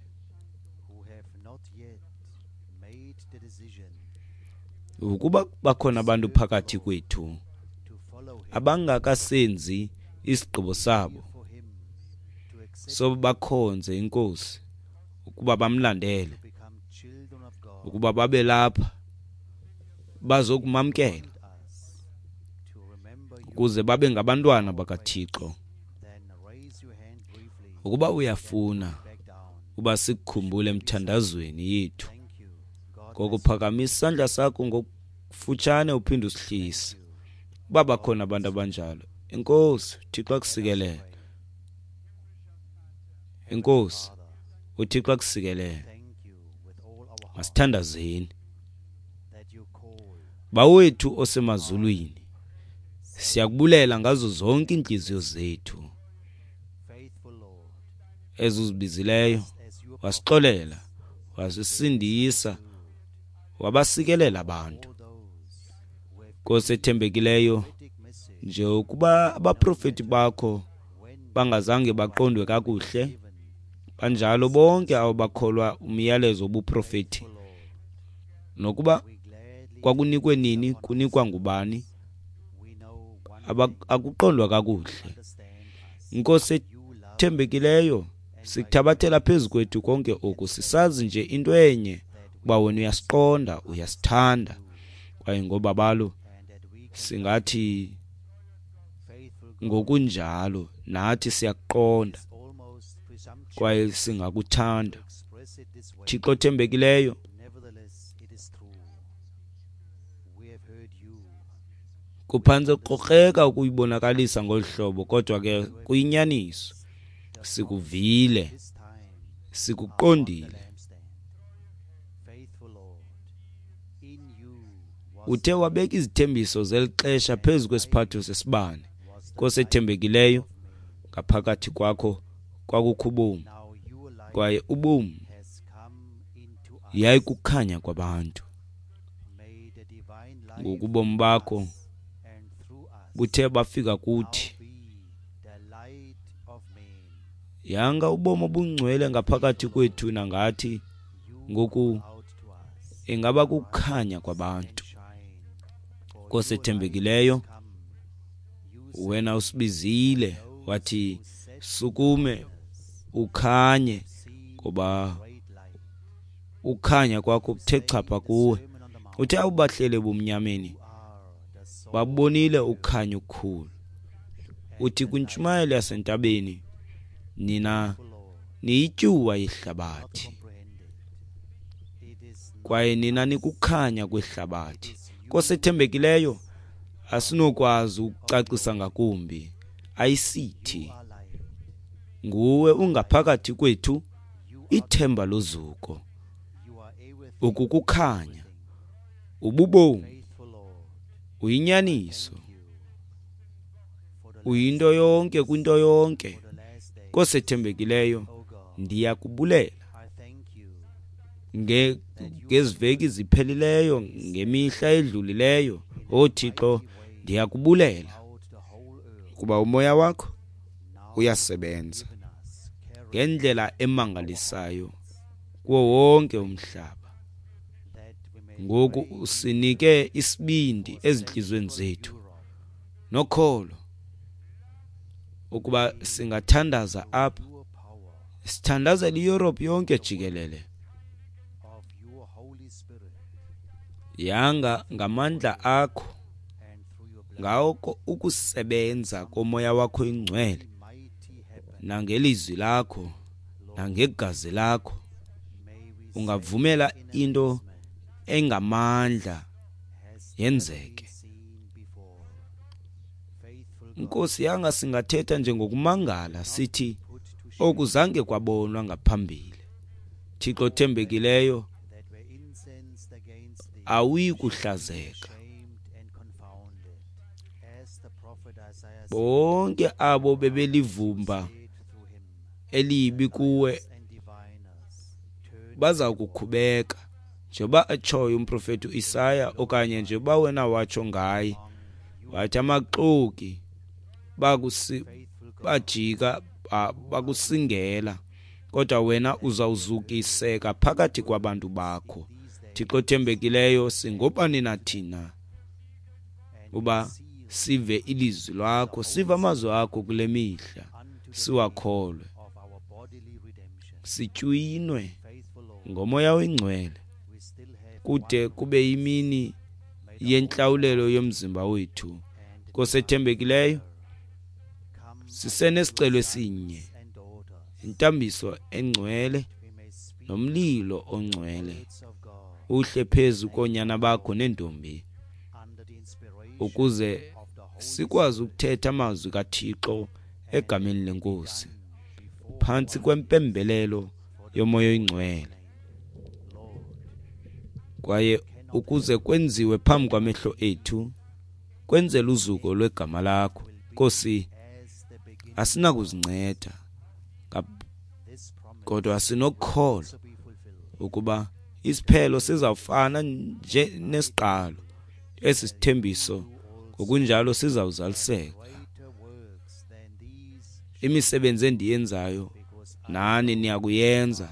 Ukuba bakhona abantu phakathi kwethu to follow him, abangakasenzi isigqibo sabo for him to accept soba bakhonze inkosi, ukuba bamlandele, to become children of God, ukuba babe lapha bazokumamkela us to remember you, ukuze babe ngabantwana bakaThixo. then raise your hand briefly Ukuba uyafuna back down. uba sikukhumbule emthandazweni yethu, Thank you. God ngokuphakamisa isandla sakho ngokufutshane uphinde usihlise. Uba bakhona abantu abanjalo, enkosi, uThixo akusikelele. Enkosi, uThixo akusikelele. thank you with all our heart Masithandazeni. that you call Bawethu osemazulwini, siyakubulela ngazo zonke iintliziyo zethu faithful Lord ezuzibizileyo, as your wasixolela, wasisindisa, wabasikelela abantu. all those who have Nkosi ethembekileyo, prophetic message nje ukuba abaprofeti bakho when bangazange baqondwe kakuhle, given banjalo bonke abo bakholwa umyalezo wobuprofeti, Lord nokuba we gladly kwakunikwe nini, kunikwa ngubani, we know one aba- akuqondwa kakuhle. understand us Nkosi you love ethembekileyo, sikuthabathela phezu kwethu konke oku, sisazi nje into enye, ukuba wena uyasiqonda, uyasithanda, kwaye ngobabalo and that we can singathi faithful God ngokunjalo nathi siyakuqonda is almost presumptuous kwaye singakuthanda. to express it this way. Thixo othembekileyo, Nevertheless, it is true. We have heard you. kuphantse kukrokkreka ukuyibonakalisa ngolu hlobo, kodwa ke kuyinyaniso. Sikuvile, This time sikuqondile. lampstand. Faithful Lord, in you was Uthe wabeka izithembiso zeli xesha phezu kwesiphatho sesibane. was the Nkosi ethembekileyo, ngaphakathi kwakho kwakukho ubomi, now your light kwaye ubomi has come into us. yayikukhanya kwabantu. May the divine life Ngoku ubomi bakho and through us buthe bafika kuthi, now be the light of men. yanga ubomi obungcwele ngaphakathi kwethu nangathi You ngoku out to us ingaba kukhanya kwabantu. shine. For Nkosi your light ethembekileyo, has come. You wena usibizile wathi sukume ukhanye, see ngoba great light. ukhanya kwakho kuthe chapha kuwe. Sermon on the Mount. Uthe awubahlele ebumnyameni, You are the salt babonile ukhanya okukhulu. Uthi kwintshumayelo yasentabeni, nina Lord, niyityuwa yehlabathi, comprehended. It is not kwaye nina nikukhanya kwehlabathi. Nkosi ethembekileyo, asinokwazi ukucacisa ngakumbi. Ayisithi our light. nguwe ungaphakathi kwethu, You are, ithemba lozuko, you are everything, ukukukhanya, ububomi, faithful Lord. uyinyaniso, You for the, uyinto yonke kwinto yonke. for the last day. Nkosi ethembekileyo, Oh God, ndiyakubulela I thank you nge ngeziveki ziphelileyo, ngemihla edlulileyo. O Thixo, ndiyakubulela out the whole earth kuba umoya wakho now uyasebenza given us carry ngendlela emangalisayo kuwo wonke umhlaba. that we may Ngoku usinike isibindi ezintliziyweni zethu Europe nokholo ukuba singathandaza apha, your power sithandazela iYurophu yonke jikelele. of your Holy Spirit Yanga ngamandla akho, and through your blood ngako ukusebenza komoya wakho ingcwele, mighty happen. nangelizwi lakho, nangegazi lakho, May we ungavumela into engamandla has yenzeke. seen before. Faithful God, Nkosi, yanga singathetha njengokumangala sithi put to shame okuzange kwabonwa ngaphambili. Thixo othembekileyo, that were incensed against thee, awuyi kuhlazeka. shamed and confounded, as the prophet Isaiah Bonke abo bebelivumba said through him, elibi kuwe and diviners turn baza kukhubeka, njengoba atshoyo umprofeti uIsaya, okanye njengoba wena watsho ngaye, wathi amaxoki bakusi faithful God, bajika ba- bakusingela, kodwa wena uzawuzukiseka phakathi kwabantu bakho these days Thixo othembekileyo, singobani na thina uba sive ilizwi lwakho, sive amazwi akho kule mihla, siwakholwe, sitywinwe ngoMoya oyiNgcwele kude kube yimini yentlawulelo yomzimba wethu. Nkosi ethembekileyo, sisenesicelo esinye, intambiso engcwele nomlilo ongcwele uhle phezu koonyana bakho neentombi, ukuze sikwazi ukuthetha amazwi kaThixo egameni leNkosi phantsi kwempembelelo yoMoya oyiNgcwele, kwaye ukuze kwenziwe phambi kwamehlo ethu, kwenzele uzuko lwegama lakho. Nkosi, asinakuzinceda, kodwa sinokukholwa ukuba isiphelo sizawufana nje nesiqalo. Esi sithembiso ngokunjalo sizawuzaliseka. Imisebenzi endiyenzayo nani niyakuyenza,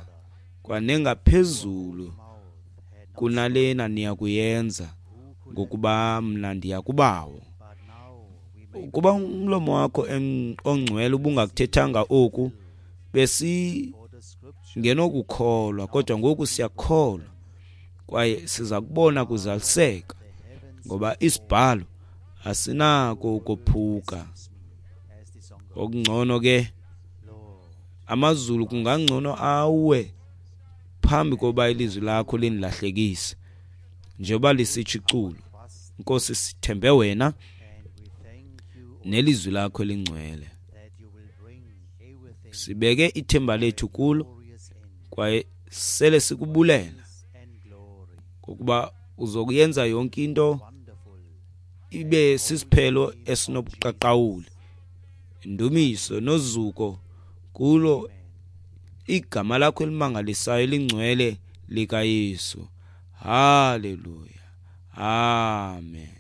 kwanengaphezulu kunalena niyakuyenza, ngokuba mna ndiya kuBawo. Ukuba umlomo wakho ongcwele ubungakuthethanga oku, besingenokukholwa, kodwa ngoku siyakholwa kwaye siza kubona kuzaliseka, ngoba isibhalo asinako ukophuka. Okungcono ke amazulu kungangcono awe phambi koba ilizwi lakho lindilahlekise, njengoba lisitsho iculo. Nkosi, sithembe wena nelizwi lakho elingcwele. Sibeke ithemba lethu kulo kwaye sele sikubulela ngokuba uzokuyenza yonke into ibe sisiphelo esinobuqaqawuli. Indumiso nozuko kulo igama lakho elimangalisayo elingcwele likaYesu. Haleluya, amen.